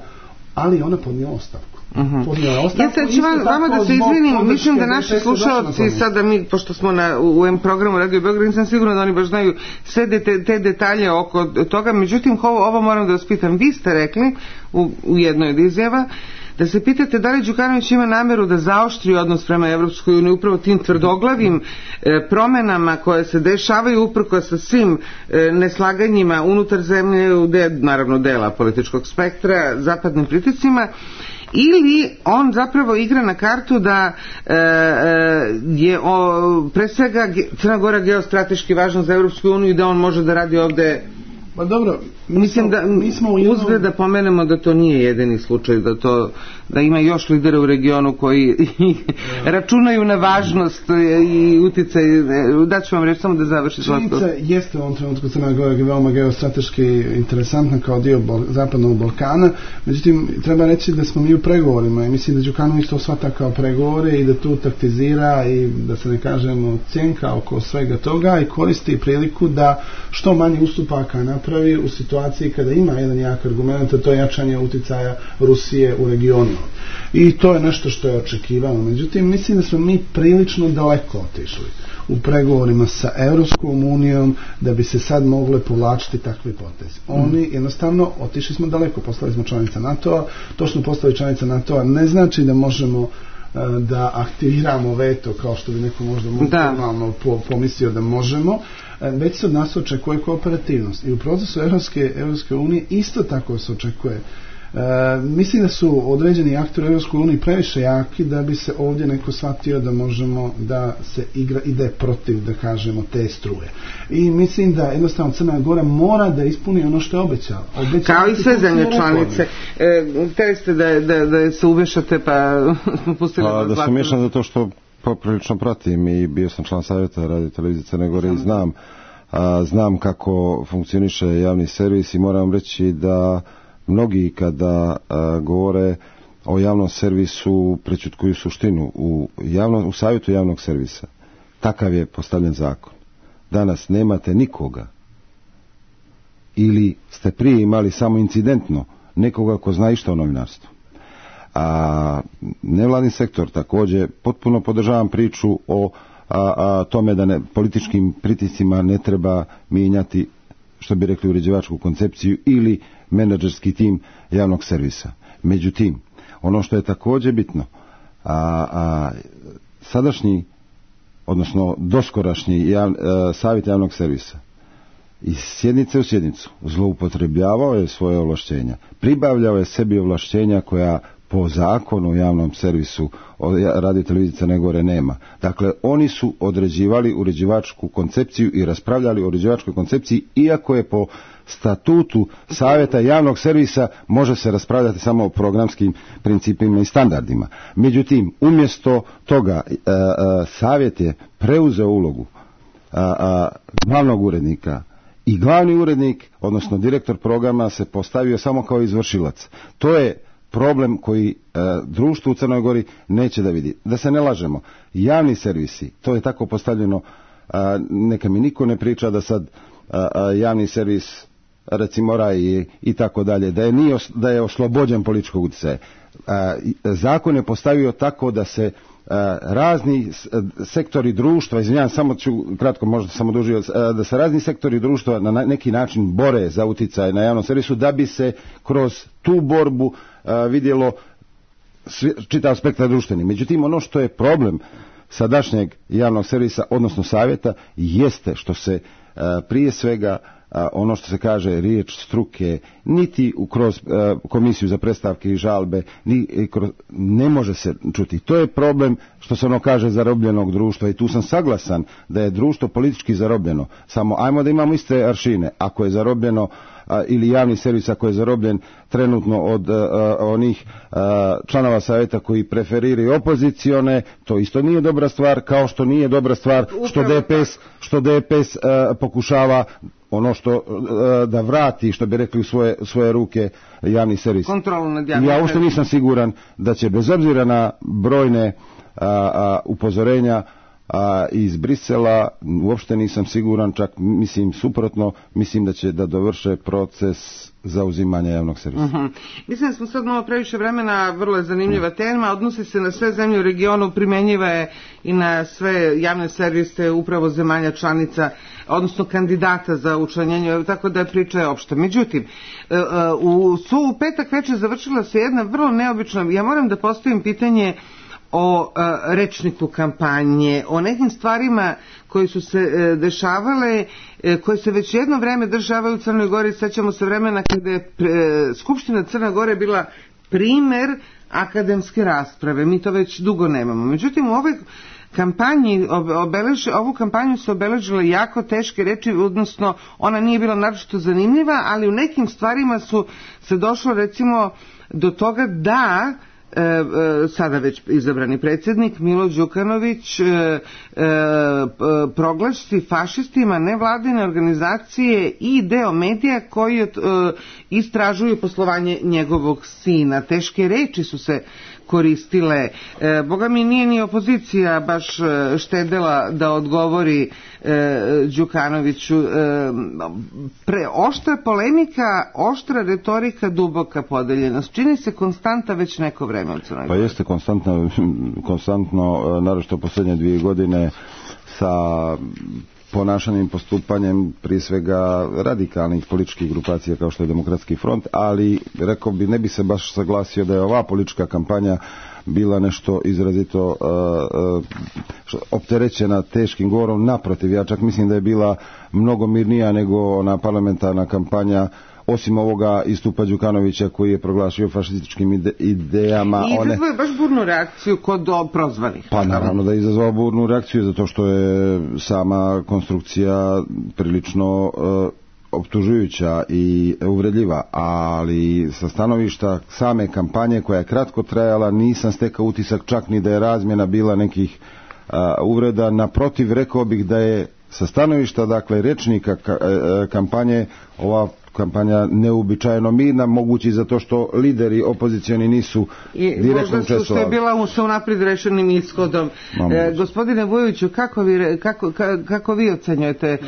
ali ona podnijela ostavku. Uh-huh. Ja sad ću vam, vama da se izvinim, mislim da naši slušalci sada mi, pošto smo na, u em programu Radio Beograd, nisam sigurna da oni baš znaju sve de, te, te detalje oko toga, međutim ovo, ovo moram da vas pitam, vi ste rekli u, u jednoj od izjava da se pitate da li Đukanović ima nameru da zaoštri odnos prema Evropskoj uniji upravo tim tvrdoglavim e, promenama koje se dešavaju uprko sa svim e, neslaganjima unutar zemlje, u de, naravno dela političkog spektra, zapadnim pritiscima, ili on zapravo igra na kartu da e, je o, pre svega Crna Gora geostrateški važna za Evropsku uniju i da on može da radi ovde. Pa dobro, mi mislim smo, da mi smo u jednom... uzgled da pomenemo da to nije jedini slučaj, da to da ima još lidera u regionu koji računaju na važnost i uticaj. Da ću vam reći samo da završi. Činjenica jeste u ovom trenutku Crna Gora veoma geostrateški interesantna kao dio Bol- Zapadnog Balkana, međutim treba reći da smo mi u pregovorima i mislim da Đukanović to shvata kao pregovore i da tu taktizira i da se ne kažemo cjenka oko svega toga i koristi priliku da što manje ustupaka napravi u situaciji kada ima jedan jak argument, a to je jačanje uticaja Rusije u regionu. I to je nešto što je očekivano. Međutim, mislim da smo mi prilično daleko otišli u pregovorima sa Evropskom unijom da bi se sad mogle povlačiti takve poteze. Oni mm. jednostavno otišli smo daleko, postali smo članica NATO-a. To što smo postali članica NATO-a ne znači da možemo da aktiviramo veto kao što bi neko možda normalno po, pomislio da možemo, već se od nas očekuje kooperativnost i u procesu Evropske, Evropske unije isto tako se očekuje. E, mislim da su određeni aktori u Evropskoj uniji previše jaki da bi se ovdje neko shvatio da možemo da se igra, ide protiv, da kažemo, te struje. I mislim da jednostavno Crna Gora mora da ispuni ono što je obećala. Kao i sve zemlje članice. E, Hteli ste da, da, da se uvešate pa smo pustili pa, da se umješam zato što poprilično pratim i bio sam član savjeta Radio Televizije Crne Gore i znam, a, znam kako funkcioniše javni servis i moram reći da mnogi kada a, govore o javnom servisu prečutkuju suštinu. U, javno, u savjetu javnog servisa takav je postavljen zakon. Danas nemate nikoga ili ste prije imali samo incidentno nekoga ko zna išta o novinarstvu. A nevladin sektor također potpuno podržavam priču o a, a, tome da ne, političkim pritiscima ne treba mijenjati, što bi rekli, uređivačku koncepciju ili menadžerski tim javnog servisa. Međutim, ono što je također bitno, a, a, sadašnji, odnosno doskorašnji jav, a, savjet javnog servisa iz sjednice u sjednicu zloupotrebljavao je svoje ovlaštenja, pribavljao je sebi ovlaštenja koja po zakonu o javnom servisu Radio Televizije Crne Gore nema. Dakle, oni su određivali uređivačku koncepciju i raspravljali o uređivačkoj koncepciji, iako je po statutu savjeta javnog servisa može se raspravljati samo o programskim principima i standardima. Međutim, umjesto toga a, a, savjet je preuzeo ulogu a, a, glavnog urednika i glavni urednik, odnosno direktor programa, se postavio samo kao izvršilac. To je problem koji e, društvo u Crnoj Gori neće da vidi. Da se ne lažemo, javni servisi, to je tako postavljeno, a, neka mi niko ne priča da sad a, a, javni servis, recimo Raj i, i tako dalje, da je, nije, da je oslobođen političkog utjecaja. Zakon je postavio tako da se razni sektori društva, izvinjavam, samo ću kratko možda samo dužio, da se razni sektori društva na neki način bore za uticaj na javnom servisu da bi se kroz tu borbu vidjelo čitav spektar društveni. Međutim, ono što je problem sadašnjeg javnog servisa, odnosno savjeta, jeste što se prije svega ono što se kaže riječ struke niti kroz komisiju za predstavke i žalbe ni kroz, ne može se čuti. To je problem što se ono kaže zarobljenog društva i tu sam saglasan da je društvo politički zarobljeno. Samo ajmo da imamo iste aršine. Ako je zarobljeno a, ili javni servis ako je zarobljen trenutno od a, onih a, članova savjeta koji preferiraju opozicione, to isto nije dobra stvar, kao što nije dobra stvar što D P S, što D P S a, pokušava ono što da vrati, što bi rekli, u svoje, svoje ruke javni servis. Kontrolu nad javnim. Ja uopšte nisam siguran da će bez obzira na brojne a, a, upozorenja a, iz Brisela, uopšte nisam siguran, čak mislim suprotno, mislim da će da dovrše proces zauzimanja javnog servisa. Uh-huh. Mislim da smo sad malo previše vremena, vrlo je zanimljiva tema, odnosi se na sve zemlje u regionu, primjenjiva je i na sve javne servise upravo zemalja članica, odnosno kandidata za učlanjenje, tako da je priča opšta. Međutim, u, su u petak večer završila se jedna vrlo neobična, ja moram da postavim pitanje o a, rečniku kampanje, o nekim stvarima koji su se e, dešavale, e, koje se već jedno vreme dešavaju u Crnoj Gori. Sećamo se vremena kada je e, Skupština Crne Gore bila primer akademske rasprave. Mi to već dugo nemamo. Međutim, u ovoj kampanji, obeleži, ovu kampanju su obeležile jako teške reči, odnosno ona nije bila naročito zanimljiva, ali u nekim stvarima su se došlo recimo do toga da E, e, sada već izabrani predsjednik Milo Đukanović e, e, proglasi fašistima nevladine organizacije i deo medija koji e, istražuju poslovanje njegovog sina. Teške reči su se koristile. E, Boga mi nije ni opozicija baš štedela da odgovori e, Đukanoviću. E, pre, oštra polemika, oštra retorika, duboka podeljenost. Čini se konstanta već neko vreme u Crnoj Gori. Pa jeste konstantno, konstantno naročito posljednje dvije godine sa ponašanjem, postupanjem prije svega radikalnih političkih grupacija kao što je Demokratski front, ali rekao bi, ne bi se baš saglasio da je ova politička kampanja bila nešto izrazito uh, uh, opterećena teškim govorom. Naprotiv, ja čak mislim da je bila mnogo mirnija nego ona parlamentarna kampanja, osim ovoga istupa Đukanovića koji je proglašio fašističkim ide, idejama. I izazvao je baš burnu reakciju kod prozvanih. Pa naravno da je izazvao burnu reakciju zato što je sama konstrukcija prilično uh, optužujuća i uvredljiva, ali sa stanovišta same kampanje koja je kratko trajala nisam stekao utisak čak ni da je razmjena bila nekih uh, uvreda. Naprotiv, rekao bih da je sa stanovišta, dakle, rečnika ka, uh, kampanje ova kampanja neuobičajeno mirna, mogući zato što lideri opozicioni nisu I direktno učestvovali. Možda što je bila sa unaprijed rešenim ishodom. E, gospodine Vujoviću, kako vi, kako, kako vi ocenjujete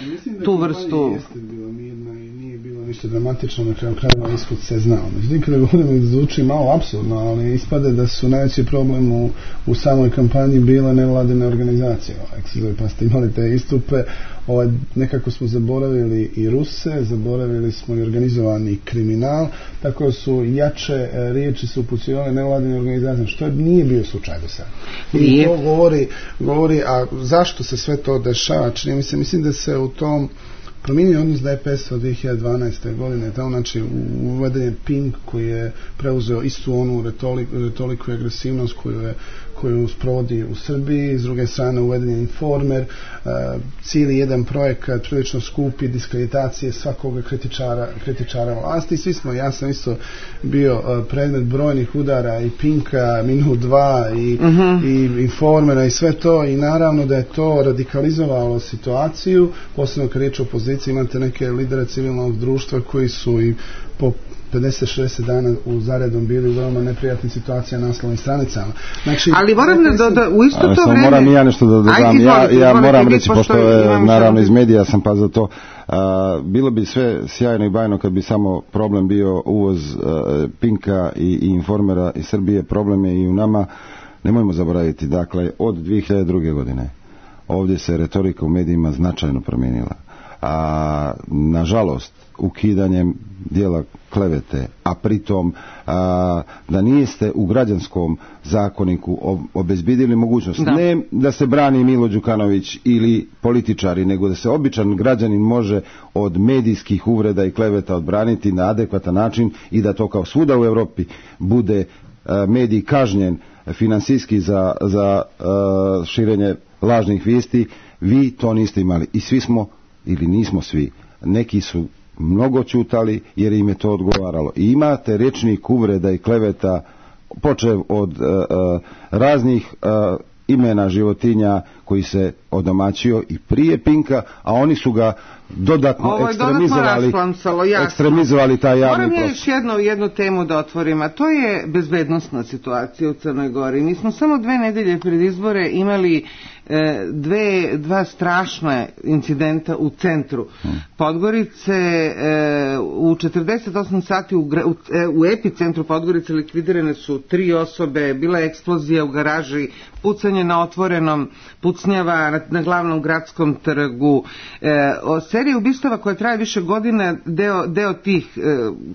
tu vrstu? Jeste bila mirna i nije bilo ništa dramatično, na kraju krajeva ishod se znao. Međutim, kada govorimo, zvuči malo apsurdno, ali ispade da su najveći problem u, u samoj kampanji bila nevladine organizacije. Ovaj, pa ste imali te istupe, ovaj, nekako smo zaboravili i Ruse, zaboravili smo i organizovani kriminal, tako su jače riječi su upućivale nevladine organizacije, što nije bio slučaj do sada. I to govori, govori, a zašto se sve to dešava? Čini mi se, mislim da se u tom promijenio odnos D P S od dvije hiljade dvanaeste. godine, tamo znači uveden je Pink koji je preuzeo istu onu retoriku, retoriku i agresivnost koju je koju sprovodi u Srbiji, s druge strane uveden je Informer, uh, cijeli jedan projekat prilično skupi diskreditacije svakoga kritičara, kritičara vlasti. Svi smo, ja sam isto bio uh, predmet brojnih udara i Pinka, Minut dva i, uh-huh. i Informera i sve to, i naravno da je to radikalizovalo situaciju, posebno kad riječ o opoziciji, imate neke lidere civilnog društva koji su i po pedeset šezdeset dana u zaredom bili u veoma neprijatnim situacijama na naslovnim stranicama. Znači, ali moram da, da, da u isto to vreme... Moram i ja nešto da dodam. Ajde, izvolite, ja, ja moram reći, pošto je, naravno, iz medija sam pa za to, a, bilo bi sve sjajno i bajno kad bi samo problem bio uvoz a, Pinka i, i Informera iz Srbije. Problem je i u nama. Nemojmo zaboraviti, dakle, od dvije hiljade druge. godine ovdje se retorika u medijima značajno promijenila. A, nažalost, ukidanjem dijela klevete, a pritom a, da niste u građanskom zakoniku obezbidili mogućnost da. ne da se brani Milo Đukanović ili političari, nego da se običan građanin može od medijskih uvreda i kleveta odbraniti na adekvatan način i da to kao svuda u Europi bude a, medij kažnjen finansijski za, za a, širenje lažnih vijesti. Vi to niste imali i svi smo, ili nismo svi, neki su mnogo ćutali jer im je to odgovaralo. I imate rečnik uvreda i kleveta počev od uh, uh, raznih uh, imena životinja koji se odomaćio i prije Pinka, a oni su ga dodatno ekstremizovali, ekstremizovali taj javni prostor. Moram još jednu, jednu temu da otvorim, a to je bezbednosna situacija u Crnoj Gori. Mi smo samo dve nedelje pred izbore imali e, dve, dva strašna incidenta u centru hmm. Podgorice. E, u četrdeset osam sati u, u, u epicentru Podgorice likvidirane su tri osobe, bila je eksplozija u garaži, pucanje na otvorenom, pucnjava na, na glavnom gradskom trgu. E, o seriji ubistava koja traje više godina, deo, deo tih, e,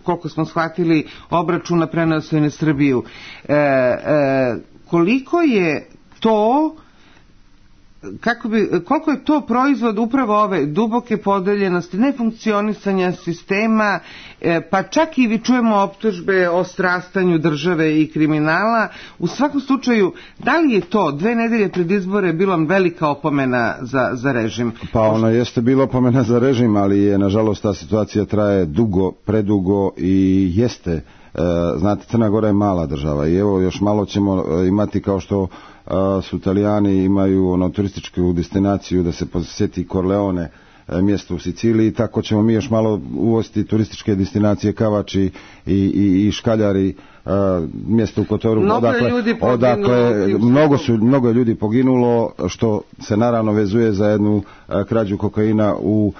koliko smo shvatili, obračuna preneo se na Srbiju. E, e, koliko je to, kako bi, koliko je to proizvod upravo ove duboke podeljenosti, nefunkcionisanja sistema, e, pa čak i vi čujemo optužbe o strastanju države i kriminala. U svakom slučaju, da li je to dve nedelje pred izbore bilo velika opomena za, za režim? Pa ono jeste bilo opomena za režim, ali je nažalost ta situacija traje dugo, predugo i jeste. Znate, Crna Gora je mala država i evo još malo ćemo imati, kao što su Italijani imaju ono turističku destinaciju da se posjeti Corleone, mjesto u Siciliji, tako ćemo mi još malo uvoziti turističke destinacije Kavači i, i, i Škaljari, mjesto u Kotoru, mnogo odakle, ljudi odakle mnogo, su, mnogo je ljudi poginulo, što se naravno vezuje za jednu krađu kokaina u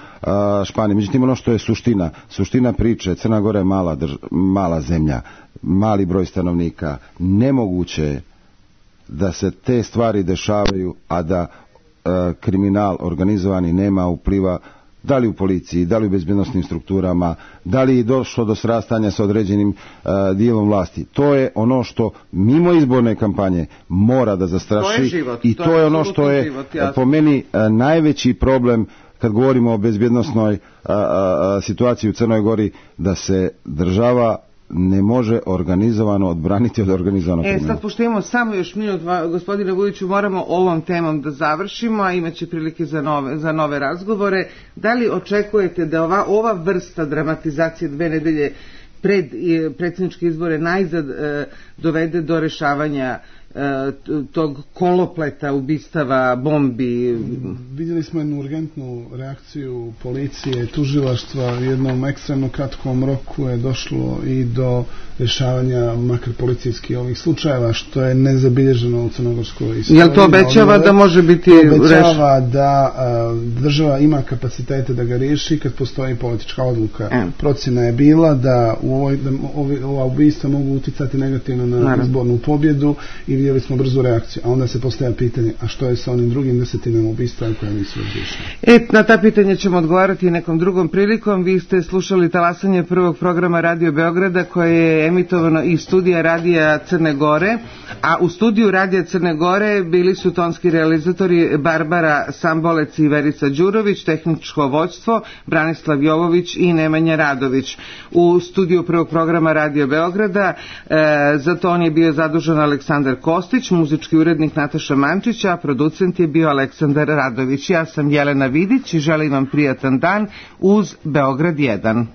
Španiji. Međutim, ono što je suština, suština priče, Crna Gora je mala, drž, mala zemlja, mali broj stanovnika, nemoguće da se te stvari dešavaju, a da e, kriminal organizovani nema upliva, da li u policiji, da li u bezbjednosnim strukturama, da li je došlo do srastanja sa određenim e, dijelom vlasti. To je ono što mimo izborne kampanje mora da zastraši, to je život, i to, to je ono što je život, po meni e, najveći problem kad govorimo o bezbjednosnoj e, e, situaciji u Crnoj Gori, da se država ne može organizovano odbraniti od organizovanog kriminala. E, sad pošto imamo samo još minut, gospodine Vujiću, moramo ovom temom da završimo, a imaće prilike za nove, za nove razgovore. Da li očekujete da ova, ova vrsta dramatizacije dve nedelje pred predsjedničke izbore najzad e, dovede do rešavanja e, tog kolopleta, ubistava, bombi? Vidjeli smo jednu urgentnu reakciju policije, tužilaštva, u jednom ekstremno kratkom roku je došlo i do rješavanja makar policijskih ovih slučajeva, što je nezabilježeno u crnogorskoj istoriji. Jel to obećava da može biti rešeno? Obećava da a, država ima kapacitete da ga riješi kad postoji politička odluka. E. Procjena je bila da, u ovoj, da ovi, ova ubistva mogu uticati negativno na Naravno. izbornu pobjedu i vidjeli smo brzu reakciju. A onda se postavlja pitanje, a što je sa onim drugim desetinama ubistva koje nisu razriješene? E, na ta pitanja ćemo odgovarati nekom drugom prilikom. Vi ste slušali talasanje prvog programa Radio Beograda, koje je emitovano iz studija Radija Crne Gore, a u studiju Radija Crne Gore bili su tonski realizatori Barbara Sambolec i Verica Đurović, tehničko vođstvo Branislav Jovović i Nemanja Radović. U studiju prvog programa Radio Beograda e, za ton je bio zadužen Aleksandar Kostić, muzički urednik Nataša Mančić, a producent je bio Aleksandar Radović. Ja sam Jelena Vidić i želim vam prijatan dan uz Beograd jedan.